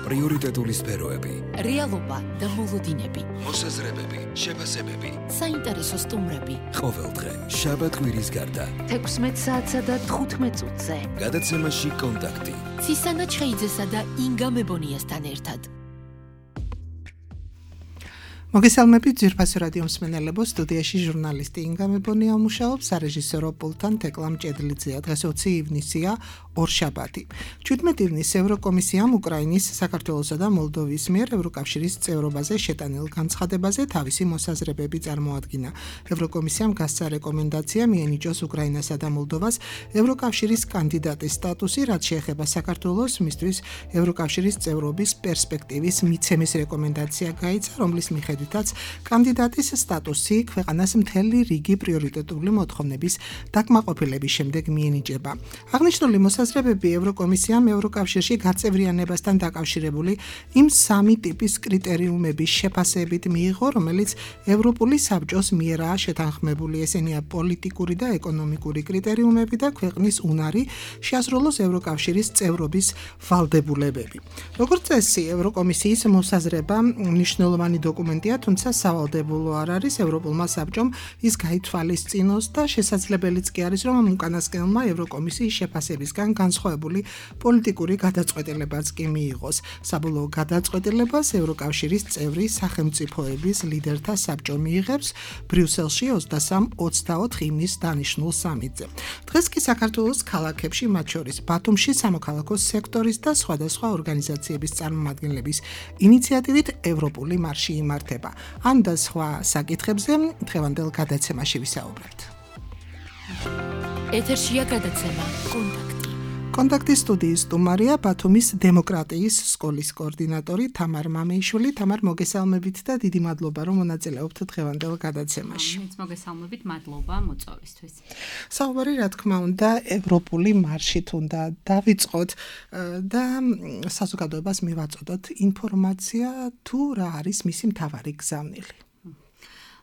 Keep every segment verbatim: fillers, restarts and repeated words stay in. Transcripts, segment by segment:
პრიორიტეტული სფეროები, რეალობა და მოლოდინები, მოსაზრებები, შეფასებები, საინტერესო სტუმრები. ყოველდღე, შაბათ-კვირის გარდა, თექვსმეტ საათსა და თხუთმეტ წუთზე. გადაცემაში კონტაქტი. ცისანა ჩხეიძესა და ინგა მებონიასთან ერთად. მოგესალმებით ძვირფასი რადიო მსმენელებო, სტუდიაში ჟურნალისტი ინგა მებონია მუშაობს, სარეჟისორო პულტთან თეკლა მჭედლიძეა. დღეს ოცი ივნისია, ორშაბათი. ჩვიდმეტ ივნისს ევროკომისიამ უკრაინის, საქართველოსა და მოლდოვის მიერ ევროკავშირის წევრობაზე შეტანილ განცხადებაზე თავისი მოსაზრებები წარმოადგინა. ევროკომისიამ გასცა რეკომენდაცია მიენიჭოს უკრაინასა და მოლდოვას ევროკავშირის კანდიდატის სტატუსი, რაც შეეხება საქართველოს, მისთვის ევროკავშირის წევრობის პერსპექტივის მიცემის რეკომენდაცია გაიცა, რომლის მიხედვითაც კანდიდატის სტატუსი ქვეყანას მთელი რიგი პრიორიტეტული მოთხოვნების დაკმაყოფილების შემდეგ მიენიჭება. აღნიშნული მოსაზრებები ევროკომისიამ ევროკავშირში გაწევრიანებასთან დაკავშირებული იმ სამი ტიპის კრიტერიუმების შეფასებით მიიღო, რომელიც ევროპული საბჭოს მიერაა შეთანხმებული. ესენია პოლიტიკური და ეკონომიკური კრიტერიუმები და ქვეყნის უნარი შეასრულოს ევროკავშირის წევრობის ვალდებულებები. როგორც წესი, ევროკომისიის მოსაზრება მნიშვნელოვანი დოკუმენტია, თუმცა სავალდებულო არ არის. ევროპულმა საბჭომ ის გაითვალისწინოს და შესაძლებელიც კი არის, რომ უკანასკნელმა ევროკომისიის შეფასებისგან განსხვავებული პოლიტიკური გადაწყვეტილებაც კი მიიღოს. საბოლოო გადაწყვეტილებას ევროკავშირის წევრი სახელმწიფოების ლიდერთა საბჭო მიიღებს ბრიუსელში ოცდასამ ოცდაოთხ ივნისს დანიშნულ სამიტზე. დღეს კი საქართველოს ქალაქებში, მათ შორის ბათუმში, სამოქალაქო სექტორის და სხვადასხვა ორგანიზაციების წარმომადგენლების ინიციატივით ევროპული მარში იმართება. ამ და სხვა საკითხებზე დღევანდელ გადაცემაში ვისაუბრებთ. ეთერშია გადაცემა კონტაქტი. კონტაქტის სტუდიის სტუმარია ბათუმის დემოკრატიის სკოლის კოორდინატორი თამარ მამეიშვილი. თამარ, მოგესალმებით და დიდი მადლობა, რომ მონაწილეობთ დღევანდელ გადაცემაში. მეც მოგესალმებით, მადლობა მოწვევისთვის. საუბარი, რა თქმა უნდა, ევროპული მარშით უნდა დავიწყოთ და საზოგადოებას მივაწოდოთ ინფორმაცია, თუ რა არის მისი მთავარი გზავნილი.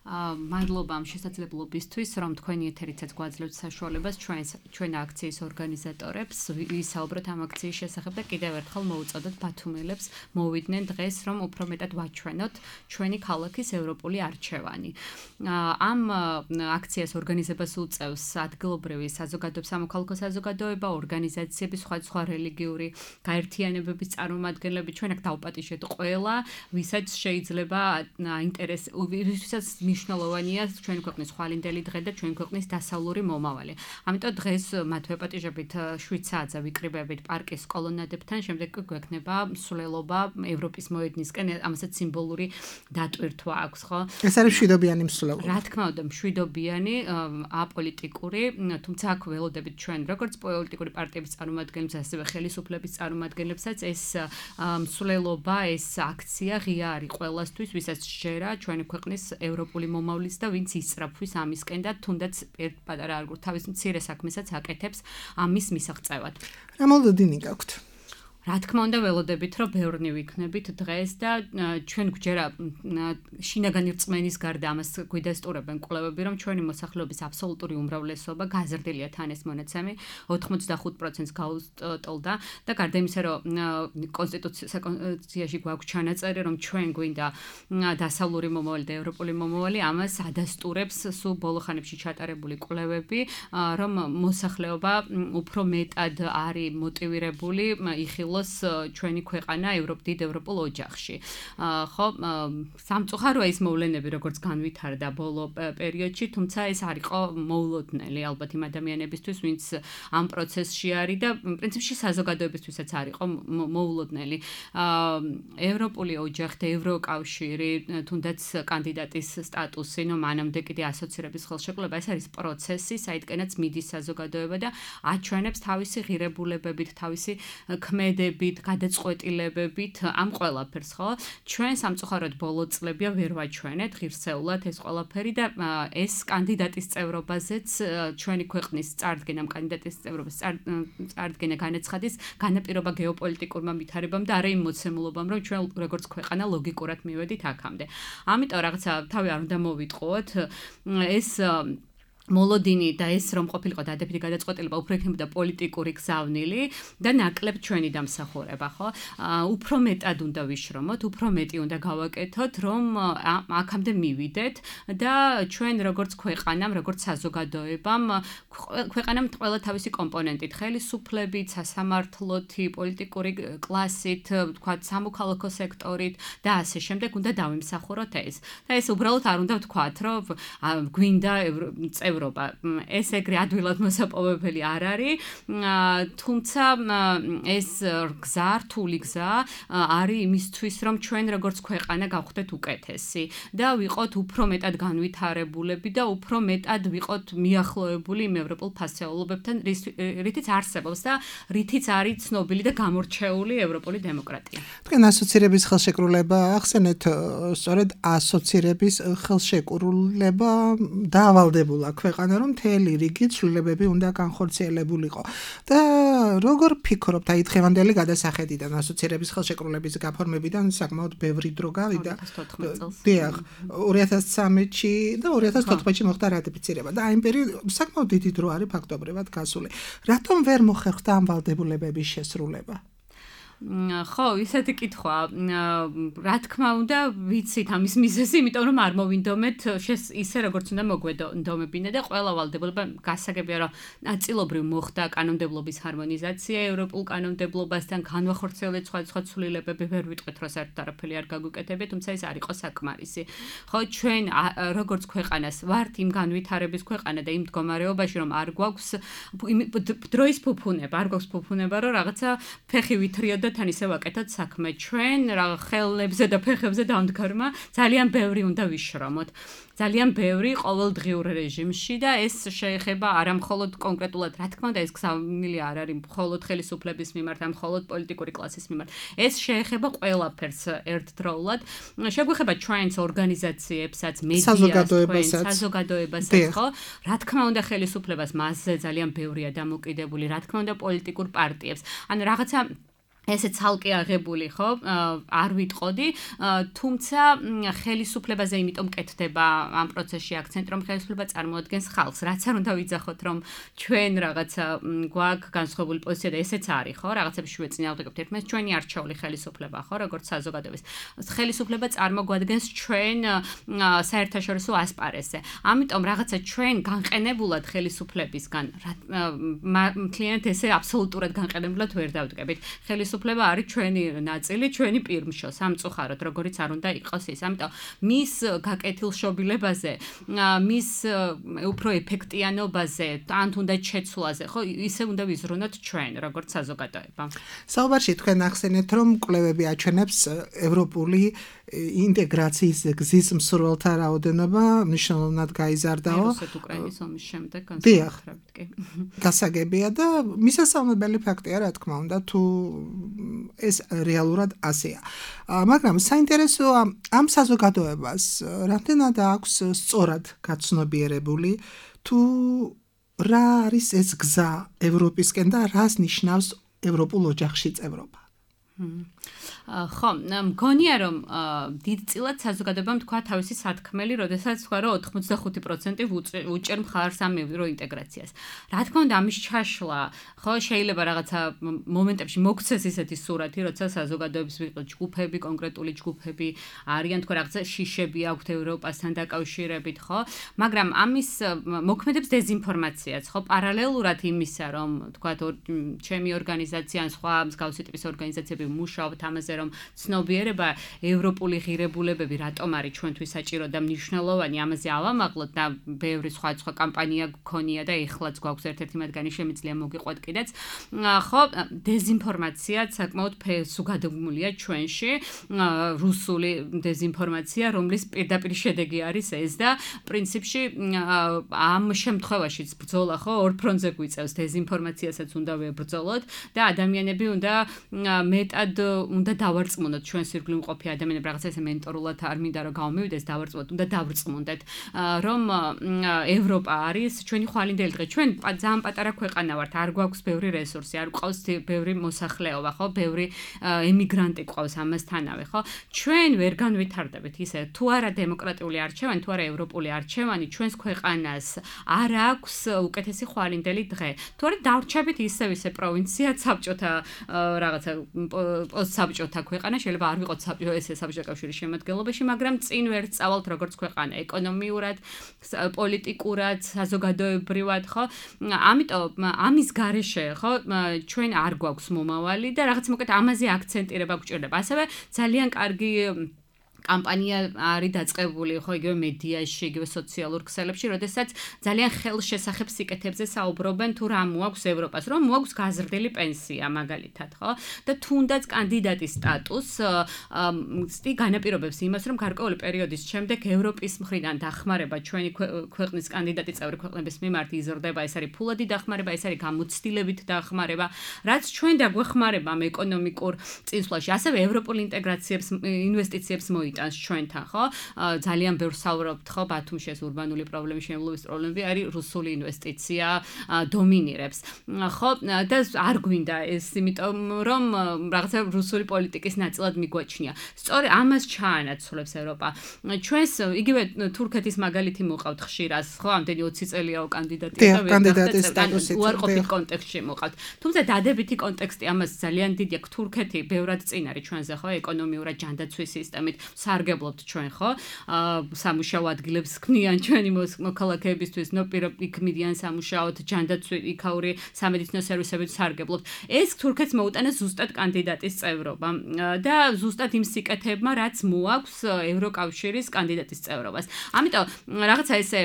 მადლობა ამ შესაძლებლობისთვის, რომ თქვენი ეთერიცაც გვაძლევთ საშუალებას ჩვენს ჩვენ აქციის ორგანიზატორებს ვისაუბროთ ამ აქციის შესახებ და კიდევ ერთხელ მოუწოდოთ ბათუმელებს მოვიდნენ დღეს, რომ უფრო მეტად ვაჩვენოთ ჩვენი ქალაქის ევროპული არჩევანი. ამ აქციას ორგანიზებას უწევს ადგილობრივი საზოგადოება, სამოქალაქო საზოგადოება, ორგანიზაციები, სხვადასხვა რელიგიური გაერთიანებების წარმომადგენლები. ჩვენ აქ დავპატიჟეთ ყველა, ვისაც შეიძლება აინტერესებს, ვისაც მნიშვნელოვანია ჩვენი ქვეყნის ხვალინდელი დღე და ჩვენი ქვეყნის დასავლური მომავალი. ამიტომ დღეს მათ ვეპატიჟებით შვიდ საათზე ვიკრიბებით პარკის კოლონადებთან, შემდეგ კი გვექნება მსვლელობა ევროპის მოედნისკენ, ამასაც სიმბოლური დატვირთვა აქვს, ხო? ეს არის მშვიდობიანი მსვლელობა. რა თქმა უნდა, მშვიდობიანი, აპოლიტიკური, თუმცა აქ ველოდებით ჩვენ, როგორც პოლიტიკური პარტიების წარმომადგენლებს, ასევე ხელისუფლების წარმომადგენლებსაც ეს მსვლელობა, ეს აქცია ღია არის ყველასთვის, ვისაც შეერა ჩვენი ქვეყნის ევროპული მომავლის და ვინც ისწრაფვის ამისკენ და თუნდაც ერთ პატარა არგულ თავის მცირე საქმესაც აკეთებს ამის მისაღწევად. რა მოლოდინი გაქვთ? რა თქმა უნდა, ველოდებით, რომ ბევრნი ვიქნებით დღეს და ჩვენ გვჯერა შინაგანი რწმენის გარდა ამას გვიდასტურებენ კვლევები, რომ ჩვენი მოსახლეობის აბსოლუტური უმრავლესობა გაზრდილია თან ეს მონაცემი ოთხმოცდახუთ პროცენტს გაუსტოლდა და გარდა იმისა, რომ კონსტიტუციაში გვაქვს ჩანაწერი, რომ ჩვენ გვინდა დასავლური მომავალი და ევროპული მომავალი, ამას ადასტურებს სულ ბოლო ხანებში ჩატარებული კვლევები, რომ მოსახლეობა უფრო მეტად არის მოტივირებული იხილოს ჩვენი ქვეყანა ევროპ დიდ ევროპულ ოჯახში. ხო, სამწუხაროა ის მოვლენები, როგორც განვითარდა ბოლო პერიოდში, თუმცა ეს არ იყო მოულოდნელი ალბათ იმ ადამიანებისთვის, ვინც ამ პროცესში არის და პრინციპში საზოგადოებისთვისაც არ იყო მოულოდნელი. ევროპული ოჯახი და ევროკავშირი, თუნდაც კანდიდატის სტატუსი, ნუ მანამდე კიდე ასოცირების ხელშეკრულება, ეს არის პროცესი, საიდანაც მიდის საზოგადოება და აჩვენებს თავისი ღირებულებებით, თავისი ქმედებით, გადაწყვეტილებებით ამ ყველაფერს, ხო? ჩვენ სამწუხაროდ ბოლო წლებია ვერ ვაჩვენეთ ღირსეულად ეს ყველაფერი და ეს კანდიდატის წევრობაზეც ჩვენი ქვეყნის წარდგენამ კანდიდატის წევრობის წარდგენა განაცხადის განაპირობა გეოპოლიტიკურმა ვითარებამ და არა იმ მოცემულობამ, რომ ჩვენ როგორც ქვეყანა ლოგიკურად მივედით აქამდე. ამიტომ რაღაცა თავი არ უნდა მოვიტყუოთ, ეს მოლოდინი და ეს რომ ყოფილიყო დადებითი გადაწყვეტილება უფრო იქნებოდა პოლიტიკური გზავნილი და ნაკლებ ჩვენი დამსახურება, ხო? უფრო მეტად უნდა ვიშრომოთ, უფრო მეტი უნდა გავაკეთოთ, რომ აქამდე მივიდეთ და ჩვენ როგორც ქვეყანამ, როგორც საზოგადოებამ, ქვეყანამ ყველა თავისი კომპონენტით, ხელისუფლებით, სასამართლოთი, პოლიტიკური კლასით, თქვათ, სამოქალაქო სექტორით და ასე შემდეგ უნდა დავიმსახუროთ ეს. და ეს უბრალოდ არ უნდა ვთქვათ, რომ გვინდა ეს ეგრე ადვილად მოსაპოვებელი არ არის, თუმცა ეს გზა, რთული გზა არის იმისთვის, რომ ჩვენ როგორც ქვეყანა გავხდეთ უკეთესი და ვიყოთ უფრო მეტად განვითარებულები და უფრო მეტად ვიყოთ მიახლოებული იმ ევროპულ ფასეულობებთან, რითიც არსებობს და რითიც არის ცნობილი და გამორჩეული ევროპული დემოკრატია. თქვენ ასოცირების ხელშეკრულება ახსენეთ, სწორედ ასოცირების ხელშეკრულება დაავალდებულა ქვეყანა, რომ მთელი რიგი ცვლილებები უნდა განხორციელებულიყო. და როგორ ფიქრობთ, აი დღევანდელი გადასახედიდან ასოცირების ხელშეკრულების გაფორმებიდან საკმაოდ ბევრი დრო გავიდა. დიახ, ორი ათას ცხრამეტში და ორი ათას თოთხმეტში მოხდა რატიფიცირება და აი იმ პერიოდში საკმაოდ დიდი დრო არის ფაქტობრივად გასული. რატომ ვერ მოხერხდა ამ ვალდებულებების შესრულება? ხო, ისეთი კითხვა. რა თქმა უნდა, ვიცით ამის მიზეზი, იმიტომ რომ არ მოვინდომეთ ისე როგორც უნდა მოგვედომებინა და ყველა ვალდებულება გასაგებია, რომ ნაწილობრივ მოხდა კანონმდებლობის ჰარმონიზაცია ევროპულ კანონმდებლობასთან, განვახორციელეთ სხვადასხვა ცვლილებები, ვერ ვიტყვით, რომ საერთოდ არაფერი არ გაგუკეთებია, თუმცა ეს არ იყო საკმარისი. ხო, ჩვენ როგორც ქვეყანას ვართ იმ განვითარების ქვეყანა და იმ მდგომარეობაში, რომ არ გვაქვს დროის ფუფუნება, არ გვაქვს ფუფუნება, რომ რაღაცა ფეხი ვითრიოთ თან ისე ვაკეთოთ საქმე. ჩვენ რა ხელებზე და ფეხებზე დამდგარმა ძალიან ბევრი უნდა ვიშრომოთ. ძალიან ბევრი ყოველდღიურ რეჟიმში და ეს შეეხება არა მხოლოდ კონკრეტულად, რა თქმა უნდა, ეს გზავნილი არ არის მხოლოდ ხელისუფლების მიმართ, ან მხოლოდ პოლიტიკური კლასის მიმართ. ეს შეეხება ყველაფერს ერთდროულად. შეგვეხება ჩვენს ორგანიზაციებსაც, მედიას, საზოგადოებასაც, ხო? რა თქმა უნდა, ხელისუფლებას მასზე ძალიან ბევრია დამოკიდებული, რა თქმა უნდა, პოლიტიკურ პარტიებს. ან რაღაცა ესე ცალკე აღებული, ხო? არ ვიტყოდი, თუმცა ხელისუფლებაზე იმიტომ კეთდება ამ პროცესში აქცენტი, რომ ხელისუფლება წარმოადგენს ხალხს. რაც არ უნდა ვიძახოთ, რომ ჩვენ რაღაცა გვაქვს განსხვავებული პოზიცია და ესეც არის, ხო? რაღაცებში ვეწინააღმდეგებთ ერთმანეთს, ჩვენი არჩეული ხელისუფლება, ხო, როგორც საზოგადოების. ხელისუფლება წარმოგვადგენს ჩვენ საერთაშორისო ასპარესზე. ამიტომ რაღაცა ჩვენ განყენებულად ხელისუფლებისგან, მთლიანად ესე აბსოლუტურად განყენებულად ვერ დავდგებით. ხელისუფლება არის ჩვენი ნაწილი, ჩვენი პირმშო, სამწუხაროდ, როგორიც არ უნდა იყოს ის. ამიტომ მის გაკეთილშობილებაზე, მის უფრო ეფექტიანობაზე, ან თუნდაც შეცვლაზე, ხო, ისე უნდა ვიზრუნოთ ჩვენ, როგორც საზოგადოება. საუბარში თქვენ ახსენეთ, რომ კვლევები აჩვენებს ევროპული ინტეგრაციის გზის მსურველთა რაოდენობა მნიშვნელოვნად გაიზარდაო. რუსეთ-უკრაინის ომის შემდეგ განსაკუთრებით კი. გასაგებია და მისასალმებელი ფაქტია, რა თქმა უნდა, თუ ეს რეალურად ასეა. მაგრამ საინტერესოა ამ საზოგადოებას რამდენად აქვს სწორად გაცნობიერებული თუ რა არის ეს გზა ევროპისკენ და რას ნიშნავს ევროპულ ოჯახში წევრობა. ხო, მგონია რომ დიდწილად საზოგადოებამ თქვა თავისი სათქმელი, როდესაც თქვა რომ ოთხმოცდახუთი პროცენტი უჭერ მხარს ამ ევროინტეგრაციას. რა თქმა უნდა, ამის ჩაშლა, ხო, შეიძლება რაღაცა მომენტებში მოგცეს ისეთი სურათი, როცა საზოგადოების ვიყოთ ჯგუფები, კონკრეტული ჯგუფები არიან, თქვა რაღაცა შიშები აქვთ ევროპასთან დაკავშირებით, ხო? მაგრამ ამის მოქმედებს დეზინფორმაციაც, ხო, პარალელურად იმისა, რომ თქვა ჩემი ორგანიზაცია ან სხვა მსგავსი ტიპის ორგანიზაციები მუშაობთ ამაზე, რომ ცნობიერება ევროპული ღირებულებები რატომ არის ჩვენთვის საჭირო და მნიშვნელოვანი, ამაზე ავამაღლოთ და ბევრი სხვა სხვა კამპანია გქონია და ეხლაც გვაქვს ერთ-ერთი მათგანი, შემიძლია მოგიყვეთ კიდეც. ხო, დეზინფორმაცია საკმაოდ ფესუგადმულია ჩვენში, რუსული დეზინფორმაცია, რომლის პირდაპირ შედეგი არის ეს და პრინციპში ამ შემთხვევაშიც ბრძოლა, ხო, ორ ფრონტზე გვიწევს, დეზინფორმაციასაც უნდა ვებრძოლოთ და ადამიანები უნდა მეტად მეტად უნდა დავარწმუნოთ ჩვენ სირგლი მყოფი ადამიანები რაღაცა ესე მენტორულად არ მინდა რომ გავმივიდეს დავარწმუნოთ უნდა დავრწმუნდეთ რომ ევროპა არის ჩვენი ხვალინდელი დღე ჩვენ ძალიან პატარა ქვეყანა ვართ არ გვაქვს ბევრი რესურსი არ გვყავს ბევრი მოსახლეობა ხო ბევრი ემიგრანტი გვყავს ამასთანავე ხო ჩვენ ვერ განვითარდებით ისე თუ არა დემოკრატიული არჩევანი თუ არა ევროპული არჩევანი ჩვენს ქვეყანას არ აქვს უკეთესი ხვალინდელი დღე თუ არა დავრჩებით ისევ ისე პროვინცია საბჭოთა რაღაცა პოსტსაბჭოთა ქვეყანა შეიძლება არ ვიყოთ საბჭო ესე საბჭოთა კავშირის შემადგენლობაში მაგრამ წინ ვერ წავალთ როგორც ქვეყანა ეკონომიურად პოლიტიკურად საზოგადოებრივად ხო ამიტომ ამის გარეშე ხო ჩვენ არ გვაქვს მომავალი და რაღაც მოკეთ ამაზე აქცენტირება გვჭირდება ასევე ძალიან კარგი კამპანია არის დაწყებული ხო იგივე მედიაში, იგივე სოციალურ ქსელებში, როდესაც ძალიან ხელშესახებ სიკეთებზე საუბრობენ თუ რა მოაქვს ევროპას, რომ მოაქვს გაზრდილი პენსია მაგალითად, ხო? და თუნდაც კანდიდატის სტატუსს სი განაპირობებს იმას, რომ გარკვეული პერიოდის შემდეგ ევროპის მხრიდან დახმარება ჩვენი ქვეყნის კანდიდატი წევრი ქვეყნების მიმართ იზრდება, ეს არის ფულადი დახმარება, ეს არის გამოცდილებით დახმარება, რაც ჩვენ დაგვეხმარება ამ ეკონომიკურ წინსვლაში, ასევე ევროპული ინტეგრაციებს, ინვესტიციებს მოიწონს ჩვენთან ხო ძალიან ბევრ საუბრობთ ხო ბათუმში ეს ურბანული პრობლემები შემოვლობის პრობლემები არის რუსული ინვესტიცია დომინირებს ხო და არ გვინდა ეს იმიტომ რომ რაღაცა რუსული პოლიტიკის ნაწილად მიგვაჩნია სწორი ამას ჩაანაცვლებს ევროპა ჩვენს იგივე თურქეთის მაგალითი მოყავთ ხშირას ხო ამდენი ოცი წელიაო კანდიდატი და კანდიდატის სტატუსით უარყოფით კონტექსტში მოყავთ თუმცა დადებითი კონტექსტი ამას ძალიან დიდი აქვს თურქეთი ბევრად წინ არის ჩვენზე ხო ეკონომიურად ჯანდაცვის სისტემით სარგებლობთ ჩვენ ხო სამუშაო ადგილებს ქმნიან ჩვენი მოქალაქეებისთვის ნო პირიქ მიდიან სამუშაოდ ჯანდაცვი იქაური სამედიცინო სერვისებით სარგებლობთ ეს თურქეთს მოუტანა ზუსტად კანდიდატის წევრობა და ზუსტად იმ სიკეთებმა რაც მოაქვს ევროკავშირის კანდიდატის წევრობას ამიტომ რაღაცა ესე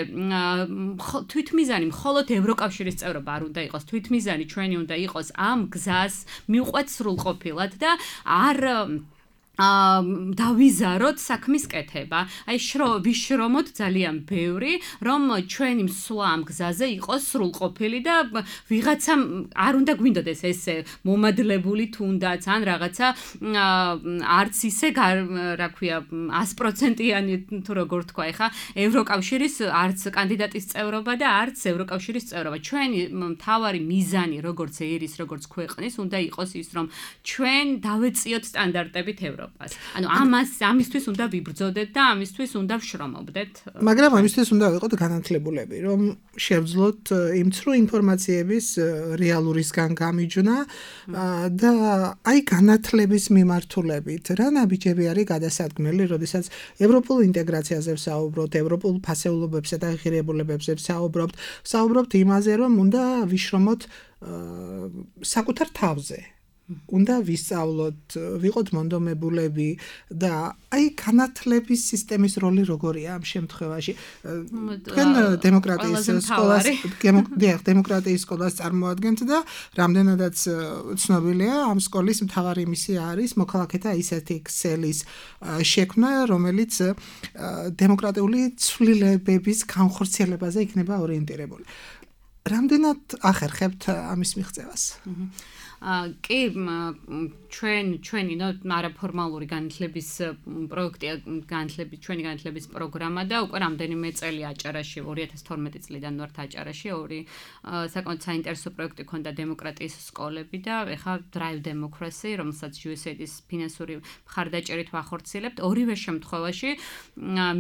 თვითმიზანი მხოლოდ ევროკავშირის წევრობა არ უნდა იყოს თვითმიზანი ჩვენი უნდა იყოს ამ გზას მიყვეთ სრულყოფილად და არ აა დავიზაროთ საქმის კეთება. აი შრო ვიშრომოთ ძალიან ბევრი, რომ ჩვენი მსვლა ამ გზაზე იყოს სრულყოფილი და ვიღაცა არ უნდა გვინდოდეს ესე მომადლებული თუნდაც ან რაღაცა არც ისე რა ქვია sto პროცენტიანი თუ როგორ თქვა ეხა ევროკავშირის არც კანდიდატის წევრობა და არც ევროკავშირის წევრობა. ჩვენი მთავარი მიზანი როგორც ერის როგორც ქვეყნის უნდა იყოს ის რომ ჩვენ დავეწიოთ სტანდარტებით ევროპას. ანუ ამას ამისთვის უნდა ვიბრძოდეთ და ამისთვის უნდა ვშრომობდეთ. მაგრამ ამისთვის უნდა ვიყოთ განათლებულები, რომ შევძლოთ იმ ცრუ ინფორმაციების რეალურისგან გამიჯვნა და აი განათლების მიმართულებით რა ნაბიჯები არის გადასადგმელი, როდესაც ევროპულ ინტეგრაციაზე ვსაუბრობთ, ევროპულ ფასეულობებსა და ღირებულებებზე ვსაუბრობთ, ვსაუბრობთ იმაზე, რომ უნდა ვიშრომოთ საკუთარ თავზე. უნდა ვისწავლოთ, ვიყოთ მონდომებულები და აი განათლების სისტემის როლი როგორია ამ შემთხვევაში. თქვენ დემოკრატიის სკოლას, დიახ, დემოკრატიის სკოლას წარმოადგენთ და რამდენადაც ცნობილია, ამ სკოლის მთავარი მისია არის მოქალაქეთა ისეთი ქსელის შექმნა, რომელიც დემოკრატიული ცვლილებების განხორციელებაზე იქნება ორიენტირებული. რამდენად ახერხებთ ამის მიღწევას? კი ჩვენ ჩვენი ნო არაფორმალური განათლების პროექტია განათლების ჩვენი განათლების პროგრამა და უკვე რამდენიმე წელი აჭარაში ორი ათას თორმეტი წლიდან ვართ აჭარაში ორი საკმაოდ საინტერესო პროექტი ქონდა დემოკრატიის სკოლები და ეხლა Drive Democracy რომელსაც იუ ეს ეი-ის ფინანსური მხარდაჭერით ვახორციელებთ ორივე შემთხვევაში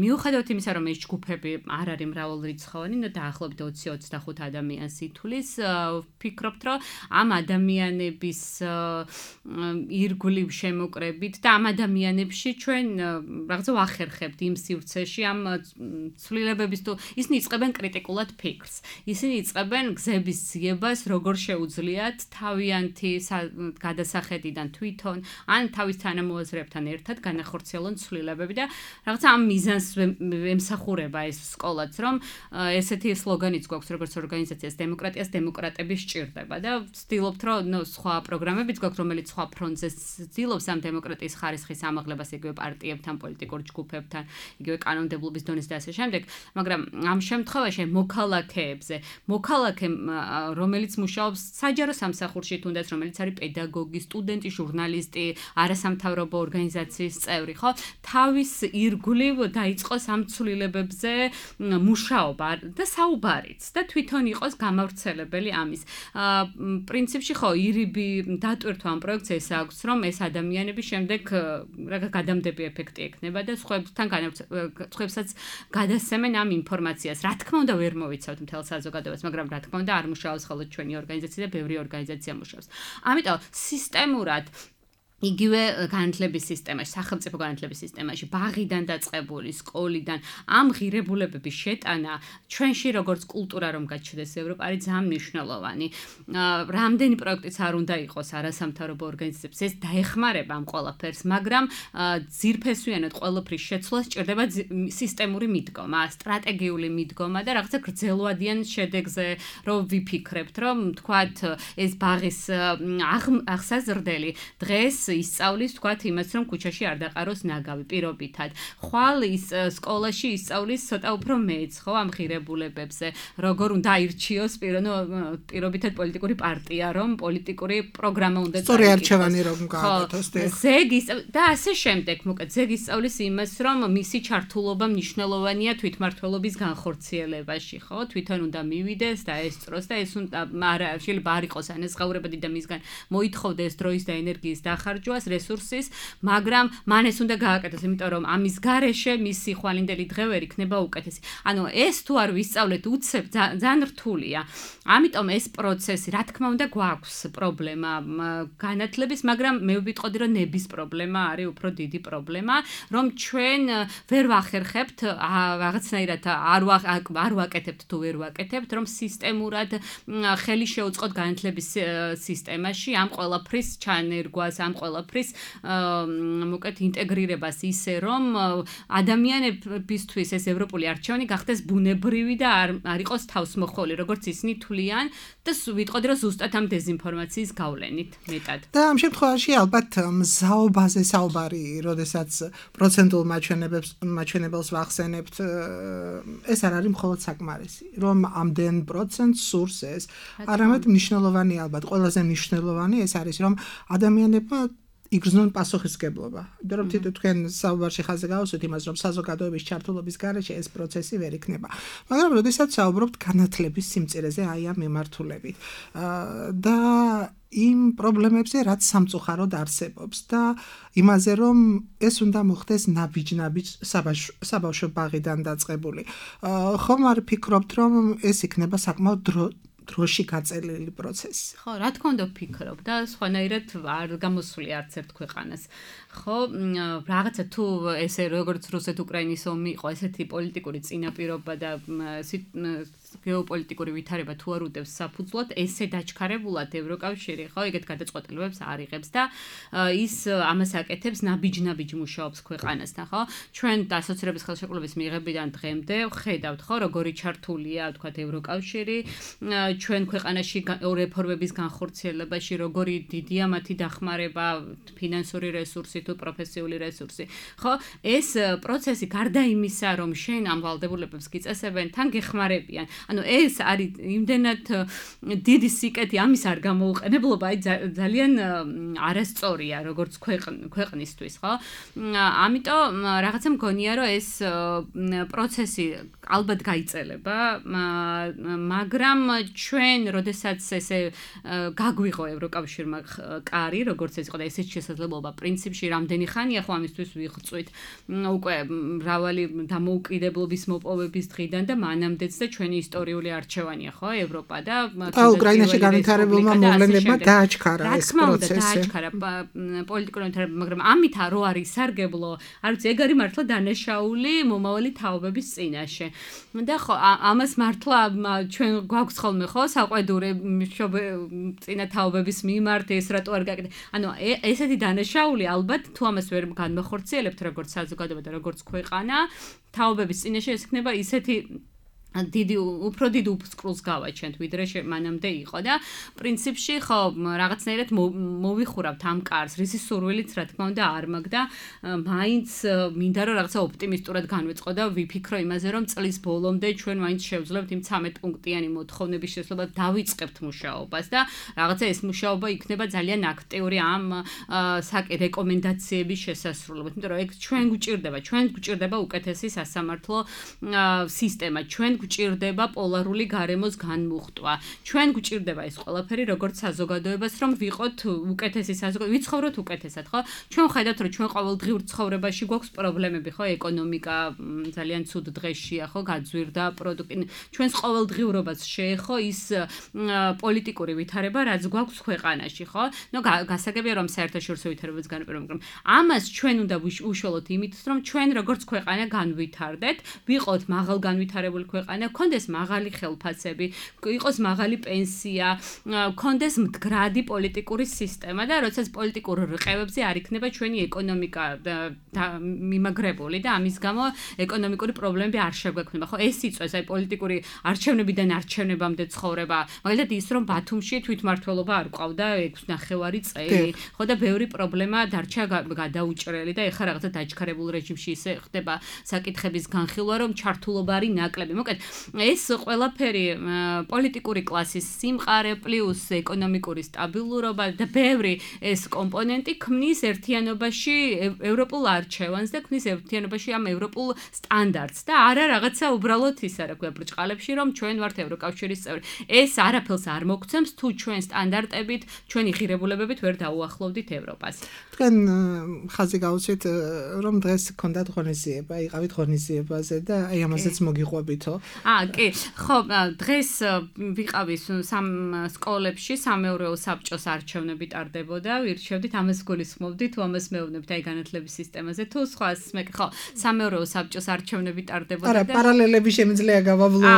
მიუხედავად იმისა რომ ეს ჯგუფები არ არის მრავალრიცხოვანი ნო დაახლოებით ოცი ოცდახუთ ადამიანს ითვლის ვფიქრობთ რომ ამ ადამიანებს bis ირგვლივ შემოკრებით და ამ ადამიანებში ჩვენ რაღაცა ვახერხებთ იმ სივრცეში ამ ცვლილებების თუ ისინი იწყებენ კრიტიკულად ფიქრს ისინი იწყებენ გზების ძიებას როგორ შეუძლიათ თავიანთი გადასახედიდან თვითონ ან თავის თანამოაზრეებთან ერთად განახორციელონ ცვლილებები და რაღაცა ამ მიზანს ემსახურება ეს სკოლაც რომ ესეთი სლოგანიც გვაქვს როგორც ორგანიზაციას დემოკრატიას დემოკრატები სჭირდება და ვცდილობთ რომ ნუ სხვა პროგრამებიც გვაქვს, რომელიც სხვა ფრონტზე ცდილობს ამ დემოკრატიის ხარისხის ამაღლებას იგივე პარტიებთან, პოლიტიკურ ჯგუფებთან, იგივე კანონმდებლობის დონეზე და ასე შემდეგ, მაგრამ ამ შემთხვევაში მოქალაქეებზე, მოქალაქე, რომელიც მუშაობს საჯარო სამსახურში, თუნდაც რომელიც არის პედაგოგი, სტუდენტი, ჟურნალისტი, არასამთავრობო ორგანიზაციის წევრი, ხო? თავის ირგვლივ დაიწყოს ამ ცვლილებებზე მუშაობა და საუბარიც და თვითონ იყოს გამავრცელებელი ამის. პრინციპში ხო, ირიბი დატვირთვა ამ პროექტს ეს აქვს, რომ ეს ადამიანები შემდეგ რა გადამდები ეფექტი ექნება და სხვებთან სხვებსაც გადასცემენ ამ ინფორმაციას. რა თქმა უნდა ვერ მოვიცავთ მთელ საზოგადოებას, მაგრამ რა თქმა უნდა არ მუშაობს ხოლმე ჩვენი ორგანიზაცია და ბევრი ორგანიზაცია მუშაობს. ამიტომ სისტემურად იგივე განათლების სისტემაში, სახელმწიფო განათლების სისტემაში, ბაღიდან დაწყებული, სკოლიდან ამ ღირებულებების შეტანა ჩვენში როგორც კულტურა რომ გაჩნდეს ევროპა არის ძალიან მნიშვნელოვანი. რამდენი პროექტიც არ უნდა იყოს არასამთავრობო ორგანიზაციებს, ეს დაეხმარება ამ ყველაფერს, მაგრამ ძირფესვიანად ყველაფრის შეცვლა სჭირდება სისტემური მიდგომა, სტრატეგიული მიდგომა და რაღაცა გრძელვადიან შედეგზე რომ ვიფიქრებთ, რომ თქვათ ეს ბაღის აღსაზრდელი დღეს ისწავლის თქვათ იმას, რომ ქუჩაში არ დაყაროს ნაგავი პირობითად. ხვალ ის სკოლაში ისწავლის ცოტა უფრო მეც, ხო, ამ ღირებულებებზე, როგორ უნდა აირჩიოს პირობითად პოლიტიკური პარტია, რომ პოლიტიკური პროგრამა უნდა წაიკითხოს. სწორი არჩევანი რომ გააკეთოს, ზეგის და ასე შემდეგ, მოკლედ ზეგი ისწავლის იმას, რომ მისი ჩართულობა მნიშვნელოვანია თვითმმართველობის განხორციელებაში, ხო? თვითონ უნდა მივიდეს და ესწროს და ეს უნდა არა, შეიძლება არ იყოს ანაზღაურებადი და მისგან მოითხოვდეს დროის და ენერგიის დახარჯვას, რესურსის, მაგრამ მან ეს უნდა გააკეთოს, იმიტომ რომ ამის გარეშე მისი ხვალინდელი დღე ვერ იქნება უკეთესი. ანუ ეს თუ არ ვისწავლეთ უცებ ძალიან რთულია. ამიტომ ეს პროცესი, რა თქმა უნდა, გვაქვს პრობლემა განათლების, მაგრამ მე ვიტყოდი, რომ ნების პრობლემა არის უფრო დიდი პრობლემა, რომ ჩვენ ვერ ვახერხებთ რაღაცნაირად არ არ ვაკეთებთ თუ ვერ ვაკეთებთ, რომ სისტემურად ხელი შეუწყოთ განათლების სისტემაში ამ ყველაფრის ჩანერგვას, ამ ყველაფრის მოკეთ ინტეგრირებას ისე, რომ ადამიანებისთვის ეს ევროპული არჩევანი გახდეს ბუნებრივი და არ არ იყოს თავსმოხვეული, როგორც ისინი თვლიან და ვიტყოდი, რომ ზუსტად ამ დეზინფორმაციის გავლენით მეტად. და ამ შემთხვევაში ალბათ მზაობაზე საუბარი, როდესაც პროცენტულ მაჩვენებებს მაჩვენებელს ვახსენებთ, ეს არ არის მხოლოდ საკმარისი, რომ ამდენ პროცენტს სურს ეს, არამედ მნიშვნელოვანი ალბათ, ყველაზე მნიშვნელოვანი ეს არის, რომ ადამიანებმა იგრძნონ პასუხისმგებლობა. იმიტომ რომ თქვენ საუბარში ხაზზე გავუსვით იმას, რომ საზოგადოების ჩართულობის გარეშე ეს პროცესი ვერ იქნება. მაგრამ როდესაც საუბრობთ განათლების სიმწირეზე, აი ამ მიმართულებით და იმ პრობლემებზე, რაც სამწუხაროდ არსებობს და იმაზე, რომ ეს უნდა მოხდეს ნაბიჯ-ნაბიჯ საბავშვო ბაღიდან დაწყებული. ხომ არ ფიქრობთ, რომ ეს იქნება საკმაოდ დრო დროში გაწელილი პროცესი. ხო, რა თქმა უნდა ვფიქრობ და სხვანაირად არ გამოსული არც ერთ ქვეყანას. ხო, რაღაცა თუ ესე როგორც რუსეთ-უკრაინის ომი იყო, ესეთი პოლიტიკური წინაპირობა და გეოპოლიტიკური ვითარება თუ არ უდევს საფუძვლად, ესე დაჩქარებულად ევროკავშირი, ხო, ეგეთ გადაწყვეტილებებს არ იღებს და ის ამას აკეთებს ნაბიჯ-ნაბიჯ მუშაობს ქვეყანასთან, ხო? ჩვენ ასოცირების ხელშეკრულების მიღებიდან დღემდე ხედავთ, ხო, როგორი ჩართულია, თქვათ, ევროკავშირი, ჩვენ ქვეყანაში რეფორმების განხორციელებაში, როგორი დიდია მათი დახმარება, ფინანსური რესურსი თუ პროფესიული რესურსი. ხო, ეს პროცესი გარდა იმისა, რომ შენ ამ ვალდებულებებს გიწესებენ, თან გეხმარებიან. ანუ ეს არის იმდენად დიდი სიკეთი, ამის არ გამოუყენებლობა, აი ძალიან არასწორია, როგორც ქვეყნისთვის, ხო? ამიტომ რაღაცა მგონია, რომ ეს პროცესი ალბათ გაიწელება, მაგრამ ჩვენ, როდესაც ესე გაგვიღო ევროკავშირმა კარი, როგორც ეს იყო და ესეც შესაძლებლობა პრინციპში რამდენი ხანია ხო ამისთვის ვიღწვით უკვე მრავალი დამოუკიდებლობის მოპოვების დღიდან და მანამდეც და ჩვენი ისტორიული არჩევანია ხო ევროპა და უკრაინაში განვითარებულმა მოვლენებმა დააჩქარა ეს პროცესი. დააჩქარა პოლიტიკური განვითარება, მაგრამ ამით რო არის სარგებლო, არ ვიცი, ეგ არის მართლა დანაშაული მომავალი თაობების წინაშე. და ხო ამას მართლა ჩვენ გვაქვს ხოლმე ხო საყვედური წინა თაობების მიმართ ეს რატო არ გაკეთე. ანუ ესეთი დანაშაული ალბათ თუ ამას ვერ განმეხორციელებთ როგორც საზოგადოება და როგორც ქვეყანა, თაობების წინაშე ეს იქნება ისეთი დიდი უფრო დიდ უფსკრულს გავაჩენთ ვიდრე მანამდე იყო და პრინციპში ხო რაღაცნაირად მოვიხურავთ ამ კარს რისი სურვილიც რა თქმა უნდა არ მაქვს და მაინც მინდა რომ რაღაცა ოპტიმისტურად განვეწყო და ვიფიქრო იმაზე რომ წლის ბოლომდე ჩვენ მაინც შევძლებთ იმ ცამეტ პუნქტიანი მოთხოვნების შესრულებას დავიწყებთ მუშაობას და რაღაცა ეს მუშაობა იქნება ძალიან აქტიური ამ საკ რეკომენდაციების შესასრულებლად იმიტომ რომ ეგ ჩვენ გვჭირდება ჩვენ გვჭირდება უკეთესი სასამართლო სისტემა ჩვენ გვჭირდება პოლარული გარემოს განმუხტვა. ჩვენ გვჭირდება ეს ყველაფერი როგორც საზოგადოებას რომ ვიყოთ უკეთესი საზოგადოება, ვიცხოვროთ უკეთესად, ხო? ჩვენ ხედავთ რომ ჩვენ ყოველდღიურ ცხოვრებაში გვაქვს პრობლემები, ხო? ეკონომიკა ძალიან ცუდ დღეშია, ხო? გაძვირდა პროდუქტი. ჩვენს ყოველდღიურობას შეეხო ის პოლიტიკური ვითარება, რაც გვაქვს ქვეყანაში, ხო? ნუ გასაგებია რომ საერთაშორისო ვითარებაც განაპირობა, მაგრამ ამას ჩვენ უნდა უშუალოდ იმით რომ ჩვენ როგორც ქვეყანა განვითარდეთ, ვიყოთ მაღალ განვითარებული ქვეყანა კონდეს მაღალი ხელფასები, იყოს მაღალი პენსია, კონდეს მდგრადი პოლიტიკური სისტემა და როდესაც პოლიტიკურ რყევებზე არ იქნება ჩვენი ეკონომიკა მიმაგრებული და ამის გამო ეკონომიკური პრობლემები არ შეგვექმნება. ხო, ეს იწვევს აი პოლიტიკური არჩევნებიდან არჩევნებამდე ცხოვრება. მაგალითად ის რომ ბათუმში თვითმმართველობა არ ყავდა ექვსი ნახევარი წელი. ხო და ბევრი პრობლემა დარჩა გადაუჭრელი და ეხლა რაღაცა დაჩქარებულ რეჟიმში ისე ხდება საკითხების განხილვა რომ ჩართულობა არის ნაკლები. მოკეთ ეს ყველაფერი პოლიტიკური კლასის სიმყარე პლუს ეკონომიკური სტაბილურობა და ბევრი ეს კომპონენტი ქმნის ერთიანობაში ევროპულ არჩევანს და ქმნის ერთიანობაში ამ ევროპულ სტანდარტს და არა რაღაცა უბრალოდ ის არა ქვია ბრჭყალებში რომ ჩვენ ვართ ევროკავშირის წევრი. ეს არაფერს არ მოგცემს თუ ჩვენ სტანდარტებით, ჩვენი ღირებულებებით ვერ დაუახლოვდით ევროპას. თქვენ ხაზი გავუსვით რომ დღეს გქონდათ ღონისძიება, იყავით ღონისძიებაზე და აი ამაზეც მოგიყვებითო. აა კი, ხო, დღეს ვიყავი სამ სკოლებში სამეურვეო საბჭოს არჩევნები ტარდებოდა, ვირჩევდით ამას გულისხმობდით, თუ ამას მეუბნებთ აი განათლების სისტემაზე, თუ სხვას მე ხო, სამეურვეო საბჭოს არჩევნები ტარდებოდა და არა, პარალელები შემიძლია გავავლო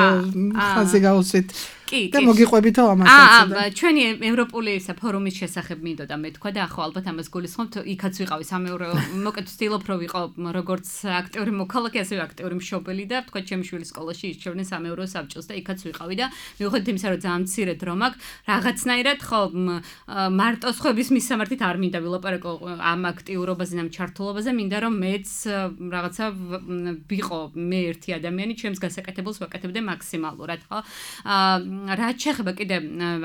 ხაზი გავუსვით. კი, და მოგიყვებითო ამასაც. აა, ჩვენი ევროპული ფორუმის შესახებ მინდოდა მეთქვა და ახლა ალბათ ამას გულისხმობთ, იქაც ვიყავი სამეურვეო, მოკეთ ვცდილობ რომ ვიყო როგორც აქტიური მოქალაქე, ასევე აქტიური მშობელი და თქვა ჩემი შვილის სკოლაში ირჩევდნენ სამეურვეო საბჭოს და იქაც ვიყავი და მიუხედავად იმისა, რომ ძალიან მცირე დრო მაქვს, რაღაცნაირად ხო მარტო სხვების მისამართით არ მინდა ვილაპარაკო ამ აქტიურობაზე, ამ ჩართულობაზე, მინდა რომ მეც რაღაცა ვიყო მე ერთი ადამიანი, ჩემს გასაკეთებელს ვაკეთებდე მაქსიმალურად, ხო? აა რაც შეეხება კიდე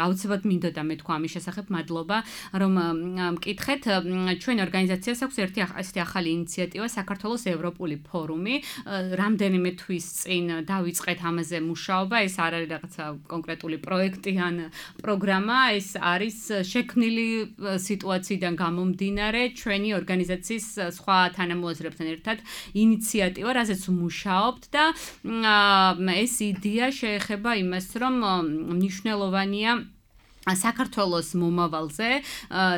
აუცილებლად მინდოდა მეთქვა ამის შესახებ, მადლობა რომ მკითხეთ. ჩვენ ორგანიზაციას აქვს ერთი ასეთი ახალი ინიციატივა საქართველოს ევროპული ფორუმი. რამდენიმე თვის წინ დავიწყეთ ამაზე მუშაობა. ეს არ არის რაღაცა კონკრეტული პროექტი ან პროგრამა, ეს არის შექმნილი სიტუაციიდან გამომდინარე ჩვენი ორგანიზაციის სხვა თანამოაზრეებთან ერთად ინიციატივა, რაზეც მუშაობთ და ეს იდეა შეეხება იმას, რომ მნიშვნელოვანია საქართველოს მომავალზე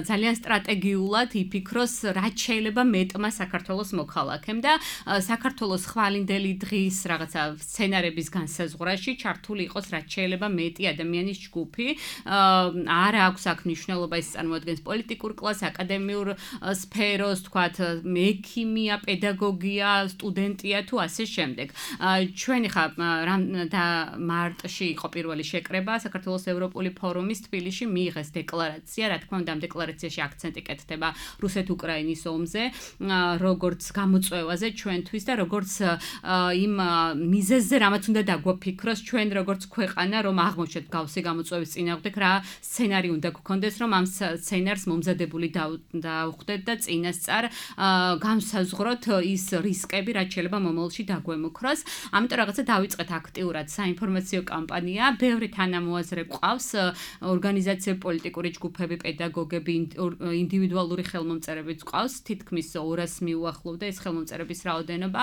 ძალიან სტრატეგიულად იფიქროს რაც შეიძლება მეტმა საქართველოს მოქალაქემ და საქართველოს ხვალინდელი დღის რაღაცა სცენარების განსაზღვრაში ჩართული იყოს რაც შეიძლება მეტი ადამიანის ჯგუფი. არ აქვს აქ მნიშვნელობა ის წარმოადგენს პოლიტიკურ კლასს, აკადემიურ სფეროს, თქვათ მექიმია, პედაგოგია, სტუდენტია თუ ასე შემდეგ. ჩვენ ხა და მარტში იყო პირველი შეკრება საქართველოს ევროპული ფორუმის თბილისში მიიღეს დეკლარაცია, რა თქმა უნდა ამ დეკლარაციაში აქცენტი კეთდება რუსეთ-უკრაინის ომზე, როგორც გამოწვევაზე ჩვენთვის და როგორც იმ მიზეზზე, რამაც უნდა დაგვაფიქროს ჩვენ როგორც ქვეყანა, რომ აღმოჩნდეთ გავსი გამოწვევის წინააღმდეგ, რა სცენარი უნდა გქონდეს, რომ ამ სცენარს მომზადებული დავხვდეთ და წინასწარ განსაზღვროთ ის რისკები, რაც შეიძლება მომავალში დაგვემოქროს. ამიტომ რაღაცა დავიწყეთ აქტიურად საინფორმაციო კამპანია, ბევრი თანამოაზრე გვყავს, ორგანიზაციები, პოლიტიკური ჯგუფები, პედაგოგები, ინდივიდუალური ხელმომწერებიც გვყავს, თითქმის ორას მიუახლოვდა ეს ხელმომწერების რაოდენობა.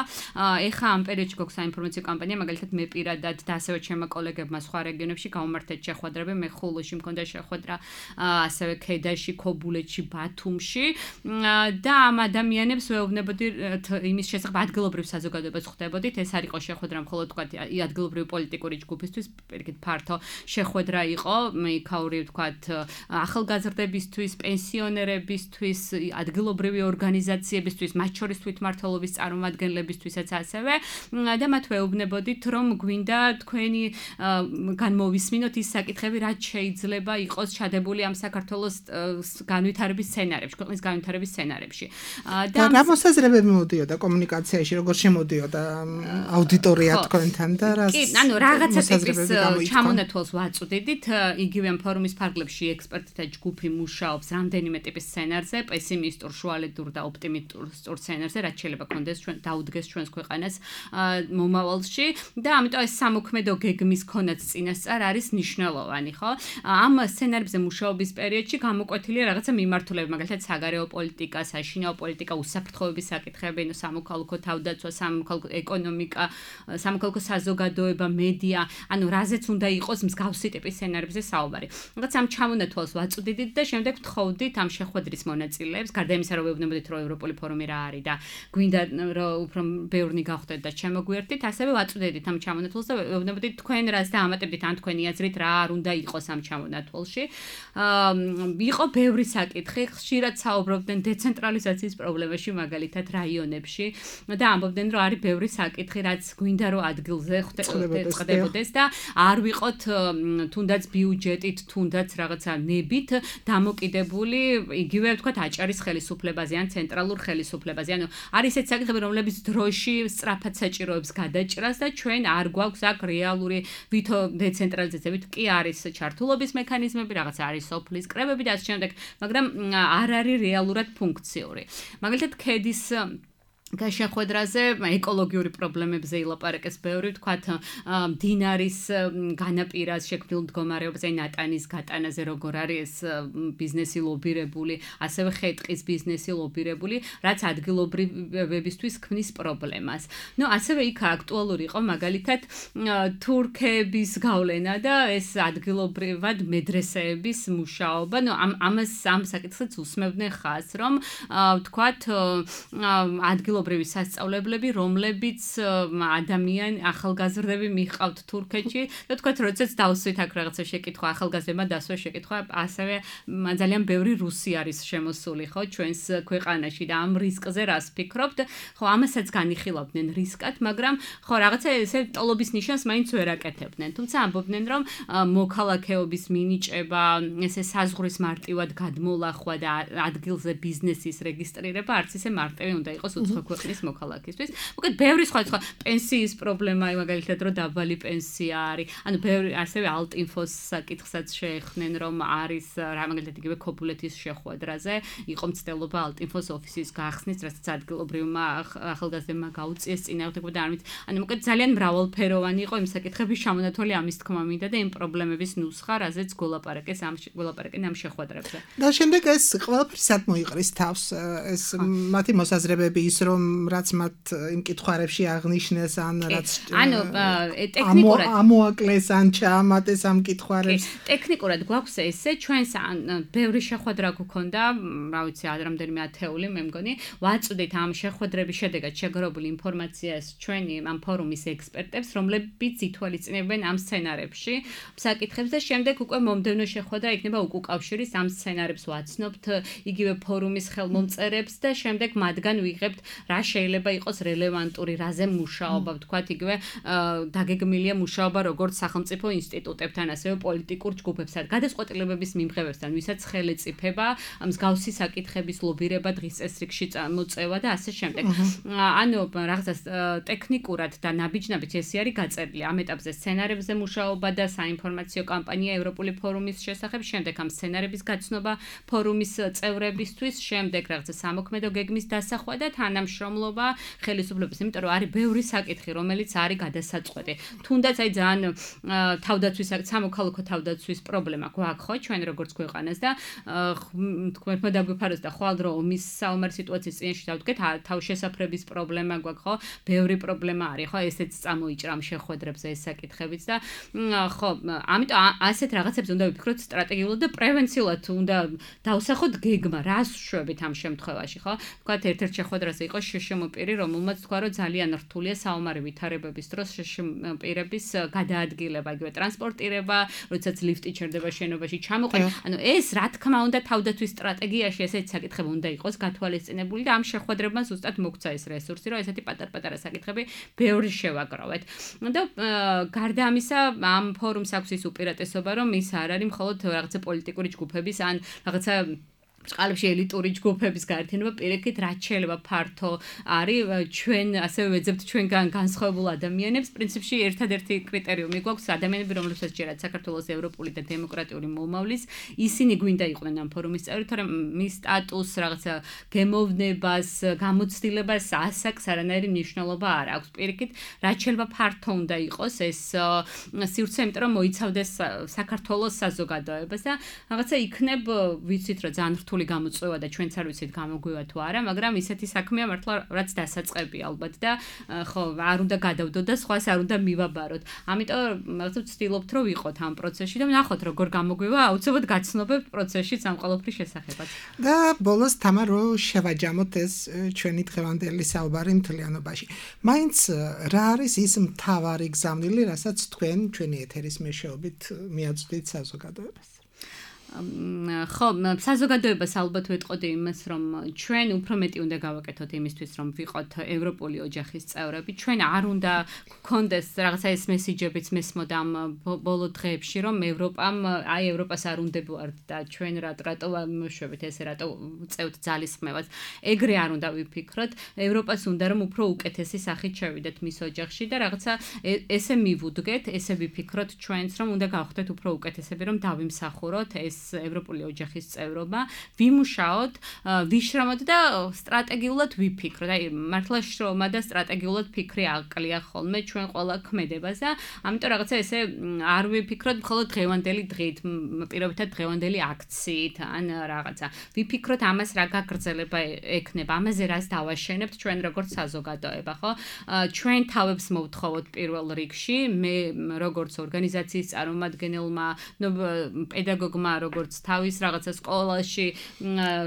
ეხა ამ პერიოდში გვაქვს საინფორმაციო კამპანია, მაგალითად მე პირადად და ასევე ჩემმა კოლეგებმა სხვა რეგიონებში გავუმართეთ შეხვედრები, მე ხულოში მქონდა შეხვედრა, ასევე ქედაში, ქობულეთში, ბათუმში და ამ ადამიანებს ვეუბნებოდი იმის შესახებ ადგილობრივ საზოგადოებას ხვდებოდით, ეს არ იყო შეხვედრა მხოლოდ თქვა ადგილობრივი პოლიტიკური ჯგუფისთვის, პირიქით ფართო შეხვედრა იყო, იქა სოციალური, ვთქვათ, ახალგაზრდებისთვის, პენსიონერებისთვის, ადგილობრივი ორგანიზაციებისთვის, მათ შორის თვითმმართველობის წარმომადგენლებისთვისაც ასევე და მათ ვეუბნებოდით, რომ გვინდა თქვენი განმოვისმინოთ ის საკითხები, რაც შეიძლება იყოს ჩადებული ამ საქართველოს განვითარების სცენარებში, ქვეყნის განვითარების სცენარებში. და რა მოსაზრებები მოდიოდა კომუნიკაციაში, როგორ შემოდიოდა აუდიტორია თქვენთან და რა კი, ანუ რაღაცა ტიპის ჩამონათვალს ვაწვდიდით, იგივე ფორუმის ფარგლებში ექსპერტთა ჯგუფი მუშაობს რამდენიმე ტიპის სცენარზე, პესიმისტურ, შუალედურ და ოპტიმისტურ სცენარზე, რაც შეიძლება კონდეს ჩვენ დაუდგეს ჩვენს ქვეყანას მომავალში და ამიტომ ეს სამოქმედო გეგმის ქონაც წინასწარ არის მნიშვნელოვანი, ხო? ამ სცენარებზე მუშაობის პერიოდში გამოკვეთილია რაღაცა მიმართულება, მაგალითად საგარეო პოლიტიკა, საშინაო პოლიტიკა, უსაფრთხოების საკითხები, ნუ სამოქალაქო თავდაცვა, სამოქალაქო ეკონომიკა, სამოქალაქო საზოგადოება, მედია, ანუ რაზეც უნდა იყოს მსგავსი ტიპის სცენარებზე საუბარი. რაღაც ამ ჩამონათვალს ვაწვდიდით და შემდეგ ვთხოვდით ამ შეხვედრის მონაწილეებს, გარდა იმისა, რომ ვეუბნებოდით, რომ ევროპული ფორუმი რა არის და გვინდა რომ უფრო ბევრნი გავხდეთ და შემოგვიერთდით, ასევე ვაწვდიდით ამ ჩამონათვალს და ვეუბნებოდით თქვენ რას დაამატებდით ან თქვენი აზრით რა არ უნდა იყოს ამ ჩამონათვალში. აა იყო ბევრი საკითხი, ხშირად საუბრობდნენ დეცენტრალიზაციის პრობლემებში, მაგალითად რაიონებში და ამბობდნენ, რომ არის ბევრი საკითხი, რაც გვინდა რომ ადგილზე ხდებოდეს და არ ვიყოთ თუნდაც ბიუჯეტით, თუნდაც რაღაცა ნებით დამოკიდებული, იგივე ვთქვათ, აჭარის ხელისუფლებაზე ან ცენტრალურ ხელისუფლებაზე. ანუ არის ეს საკითხები, რომლებიც დროში სწრაფად საჭიროებს გადაჭრას და ჩვენ არ გვაქვს აქ რეალური ვითო დეცენტრალიზაციებით კი არის ჩართულობის მექანიზმები, რაღაც არის სოფლის კრებები და ასე შემდეგ, მაგრამ არ არის რეალურად ფუნქციური. მაგალითად, ქედის შეხვედრაზე ეკოლოგიური პრობლემებზე ილაპარაკეს ბევრი, ვთქვათ, მდინარის განაპირას შექმნილ მდგომარეობაზე, ნატანის გატანაზე როგორ არის ეს ბიზნესი ლობირებული, ასევე ხე-ტყის ბიზნესი ლობირებული, რაც ადგილობრივებისთვის ქმნის პრობლემას. ნუ ასევე იქ აქტუალური იყო მაგალითად თურქების გავლენა და ეს ადგილობრივად მედრესეების მუშაობა. ნუ ამ ამას ამ საკითხს უსმევდნენ ხაზს, რომ ვთქვათ, ადგილობრივი სასწავლებლები, რომლებიც ადამიანი ახალგაზრდები მიყავთ თურქეთში და თქვათ, როდესაც დავსვით აქ რაღაცა შეკითხვა, ახალგაზრდებმა დასვა შეკითხვა, ასევე ძალიან ბევრი რუსი არის შემოსული, ხო, ჩვენს ქვეყანაში და ამ რისკზე რას ფიქრობთ? ხო, ამასაც განიხილავდნენ რისკად, მაგრამ ხო, რაღაცა ესე ტოლობის ნიშანს მაინც ვერ აკეთებდნენ. თუმცა ამბობდნენ, რომ მოქალაქეობის მინიჭება, ესე საზღვრის მარტივად გადმოლახვა და ადგილზე ბიზნესის რეგისტრირება არც ისე მარტივი უნდა იყოს უცხო ქვეყნის მოქალაქისთვის. მოკლედ ბევრი სხვა პენსიის პრობლემა, მაგალითად, რომ დაბალი პენსია არის. ანუ ბევრი ასევე ალტინფოს საკითხსაც შეეხნენ, რომ არის რა მაგალითად იგივე ქობულეთის შეხვედრაზე იყო მცდელობა ალტინფოს ოფისის გახსნის, რასაც ადგილობრივმა ახალგაზრდებმა გაუწიეს წინააღმდეგობა და ამით. ანუ მოკლედ ძალიან მრავალფეროვანი იყო იმ საკითხების ჩამონათვალი ამის თქმა მინდა და იმ პრობლემების ნუსხა, რაზეც გოლაპარაკეს ამ გოლაპარაკენ ამ შეხვედრებზე. და შემდეგ ეს ყველაფერი სად მოიყრის თავს, ეს მათი მოსაზრებები ის რომ რაც მათ იმ კითხوارებში აღნიშნეს ან რაც ანუ ტექნიკურად ამოაკლეს ან ჩაამატეს ამ კითხوارებს ტექნიკურად გვაქვს ესე ჩვენს ბევრი შეხვედრა გქონდა რა ვიცი რამდენიმე ათეული მე მგონი ვაწვდით ამ შეხვედრების შედეგად შეგროვებული ინფორმაციას ჩვენი ამ ფორუმის ექსპერტებს რომლებიც ითვალისწინებენ ამ სცენარებში საკითხებს და შემდეგ უკვე მომდევნო შეხვედრა იქნება უკავშირის ამ სცენარებს ვაცნობთ იგივე ფორუმის ხელმომწერებს და შემდეგ მათგან ვიღებთ რა შეიძლება იყოს რელევანტური რაზე მუშაობა ვთქვათ იგივე დაგეგმილია მუშაობა როგორც სახელმწიფო ინსტიტუტებთან ასევე პოლიტიკურ ჯგუფებთან გადაწყვეტილებების მიმღებებთან ვისაც ხელეწიფება მსგავსი საკითხების ლობირება დღის წესრიგში მოწევა და ასე შემდეგ ანუ რაღაცას ტექნიკურად და ნაბიჯ-ნაბიჯ ესე არის გაწერილი ამ ეტაპზე სცენარებზე მუშაობა და საინფორმაციო კამპანია ევროპული ფორუმის შესახებ შემდეგ ამ სცენარების გაცნობა ფორუმის წევრებისთვის შემდეგ რაღაცა სამოქმედო გეგმის დასახვა და თანამშრომლობა ხელისუფლების იმიტომ რომ არის ბევრი საკითხი რომელიც არის გადასაწყვეტი თუნდაც აი ძალიან თავდაცვის სამოქალაქო თავდაცვის პრობლემა გვაქვს ხო ჩვენ როგორც ქვეყანას და თქვენმა დაგვიფაროს და ხვალ დრო ომის საომარ სიტუაციის წინაშე დავდგეთ თავშესაფრების პრობლემა გვაქვს ხო ბევრი პრობლემა არის ხო ესეც წამოიჭრა ამ შეხვედრებზე ეს საკითხებიც და ხო ამიტომ ასეთ რაღაცებს უნდა ვიფიქროთ სტრატეგიულად და პრევენციულად უნდა დავსახოთ გეგმა რას ვშვებით ამ შემთხვევაში ხო თქვათ ერთ-ერთ შეხვედრაზე იყო იყო შშმ პირი, რომელმაც თქვა, რომ ძალიან რთულია საომარი ვითარებების დროს შშმ პირების გადაადგილება, იგივე ტრანსპორტირება, როდესაც ლიფტი ჩერდება შენობაში ჩამოყვება. ანუ ეს რა თქმა უნდა თავდაცვის სტრატეგიაში ესეთი საკითხები უნდა იყოს გათვალისწინებული და ამ შეხვედრებმა ზუსტად მოგცა ეს რესურსი, რომ ესეთი პატარ-პატარა საკითხები ბევრი შევაგროვეთ. და გარდა ამისა, ამ ფორუმს აქვს ის უპირატესობა, რომ ის არ არის მხოლოდ რაღაცა პოლიტიკური ჯგუფების ან რაღაცა წყალებში ელიტური ჯგუფების გაერთიანება, პირიქით რაც შეიძლება ფართო არის ჩვენ ასევე ვეძებთ ჩვენგან განსხვავებულ ადამიანებს. პრინციპში ერთადერთი კრიტერიუმი გვაქვს ადამიანები, რომლებსაც ჯერათ საქართველოს ევროპული და დემოკრატიული მომავლის, ისინი გვინდა იყვნენ ამ ფორუმის წევრი, თორემ მის სტატუსს, რაღაცა გემოვნებას, გამოცდილებას ასაკს არანაირი მნიშვნელობა არ აქვს. პირიქით რაც შეიძლება ფართო უნდა იყოს ეს სივრცე, იმიტომ რომ მოიცავდეს საქართველოს საზოგადოებას და რაღაცა იქნებ ვიცით რომ ძალიან რთული გამოწვევა და ჩვენც არ ვიცით გამოგვივა თუ არა, მაგრამ ისეთი საქმეა მართლა რაც დასაწყებია ალბათ და ხო არ უნდა გადავდოთ და სხვას არ უნდა მივაბაროთ. ამიტომ რაღაცა ვცდილობთ რომ ვიყოთ ამ პროცესში და ვნახოთ როგორ გამოგვივა, აუცილებლად გაცნობებთ პროცესშიც ამ ყველაფრის შესახებაც. და ბოლოს თამა რო შევაჯამოთ ეს ჩვენი დღევანდელი საუბარი მთლიანობაში. მაინც რა არის ის მთავარი გზავნილი, რასაც თქვენ ჩვენი ეთერის მეშვეობით მიაწვდით საზოგადოებას? ხო, საზოგადოებას ალბათ ვეტყოდი იმას, რომ ჩვენ უფრო მეტი უნდა გავაკეთოთ იმისთვის, რომ ვიყოთ ევროპული ოჯახის წევრები. ჩვენ არ უნდა გქონდეს რაღაცა ეს მესიჯებიც მესმოდა ამ ბოლო დღეებში, რომ ევროპამ, აი ევროპას არ უნდებოართ და ჩვენ რატო ვიმშვებით ესე რატო წევთ ძალისხმევას. ეგრე არ უნდა ვიფიქროთ. ევროპას უნდა რომ უფრო უკეთესი სახით შევიდეთ მის ოჯახში და რაღაცა ესე მივუდგეთ, ესე ვიფიქროთ ჩვენც, რომ უნდა გავხდეთ უფრო უკეთესები, რომ დავიმსახუროთ ეს ევროპული ოჯახის წევრობა, ვიმუშაოთ, ვიშრომოთ და სტრატეგიულად ვიფიქროთ. აი, მართლა შრომა და სტრატეგიულად ფიქრი აკლია ხოლმე ჩვენ ყველა ქმედებას და ამიტომ რაღაცა ესე არ ვიფიქროთ მხოლოდ დღევანდელი დღით, პირობითად დღევანდელი აქციით ან რაღაცა. ვიფიქროთ ამას რა გაგრძელება ექნება, ამაზე რას დავაშენებთ ჩვენ როგორც საზოგადოება, ხო? ჩვენ თავებს მოვთხოვოთ პირველ რიგში, მე როგორც ორგანიზაციის წარმომადგენელმა, პედაგოგმა როგორც თავის რაღაცა სკოლაში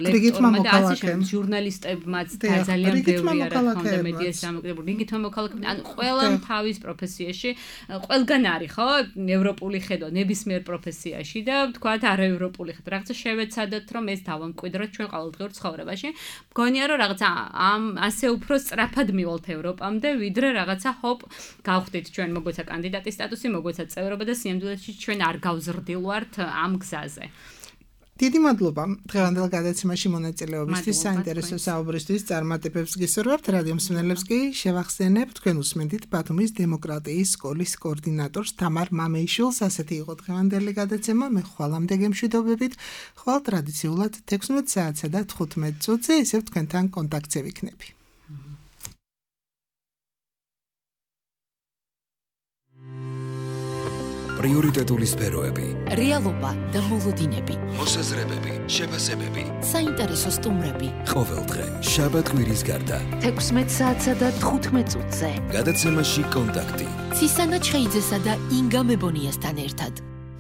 ლექტორმა და ასე შემდეგ ჟურნალისტებმაც ძალიან ბევრი არა თქონდა მედიას სამოკრებულ რიგითმა მოქალაქეებმა ან ყველამ თავის პროფესიაში ყველგან არის ხო ევროპული ხედვა ნებისმიერ პროფესიაში და თქვათ არაევროპული ხედვა რაღაცა შევეცადოთ რომ ეს დავამკვიდროთ ჩვენ ყოველდღიურ ცხოვრებაში მგონია რომ რაღაცა ამ ასე უფრო სწრაფად მივალთ ევროპამდე ვიდრე რაღაცა ჰოპ გავხდით ჩვენ მოგვეცა კანდიდატის სტატუსი მოგვეცა წევრობა და სიამდვილეში ჩვენ არ გავზრდილვართ ამ გზაზე. დიდი მადლობა დღევანდელ გადაცემაში მონაწილეობისთვის, საინტერესო საუბრისთვის, წარმატებებს გისურვებთ. რადიო მსმენელებს კი შევახსენებ, თქვენ უსმენთ ბათუმის დემოკრატიის სკოლის კოორდინატორს თამარ მამეიშვილს. ასეთი იყო დღევანდელი გადაცემა. მე ხვალამდე გემშვიდობებით. ხვალ ტრადიციულად თექვსმეტ საათსა და თხუთმეტ წუთზე ისევ თქვენთან კონტაქტზე ვიქნები. პრიორიტეტული სფეროები, რეალობა და მოლოდინები, მოსაზრებები, შეფასებები, საინტერესო სტუმრები. ყოველდღე, შაბათ-კვირის გარდა. თექვსმეტ საათსა და თხუთმეტ წუთზე. გადაცემაში კონტაქტი. ცისანა ჩხეიძესა და ინგა მებონიასთან ერთად.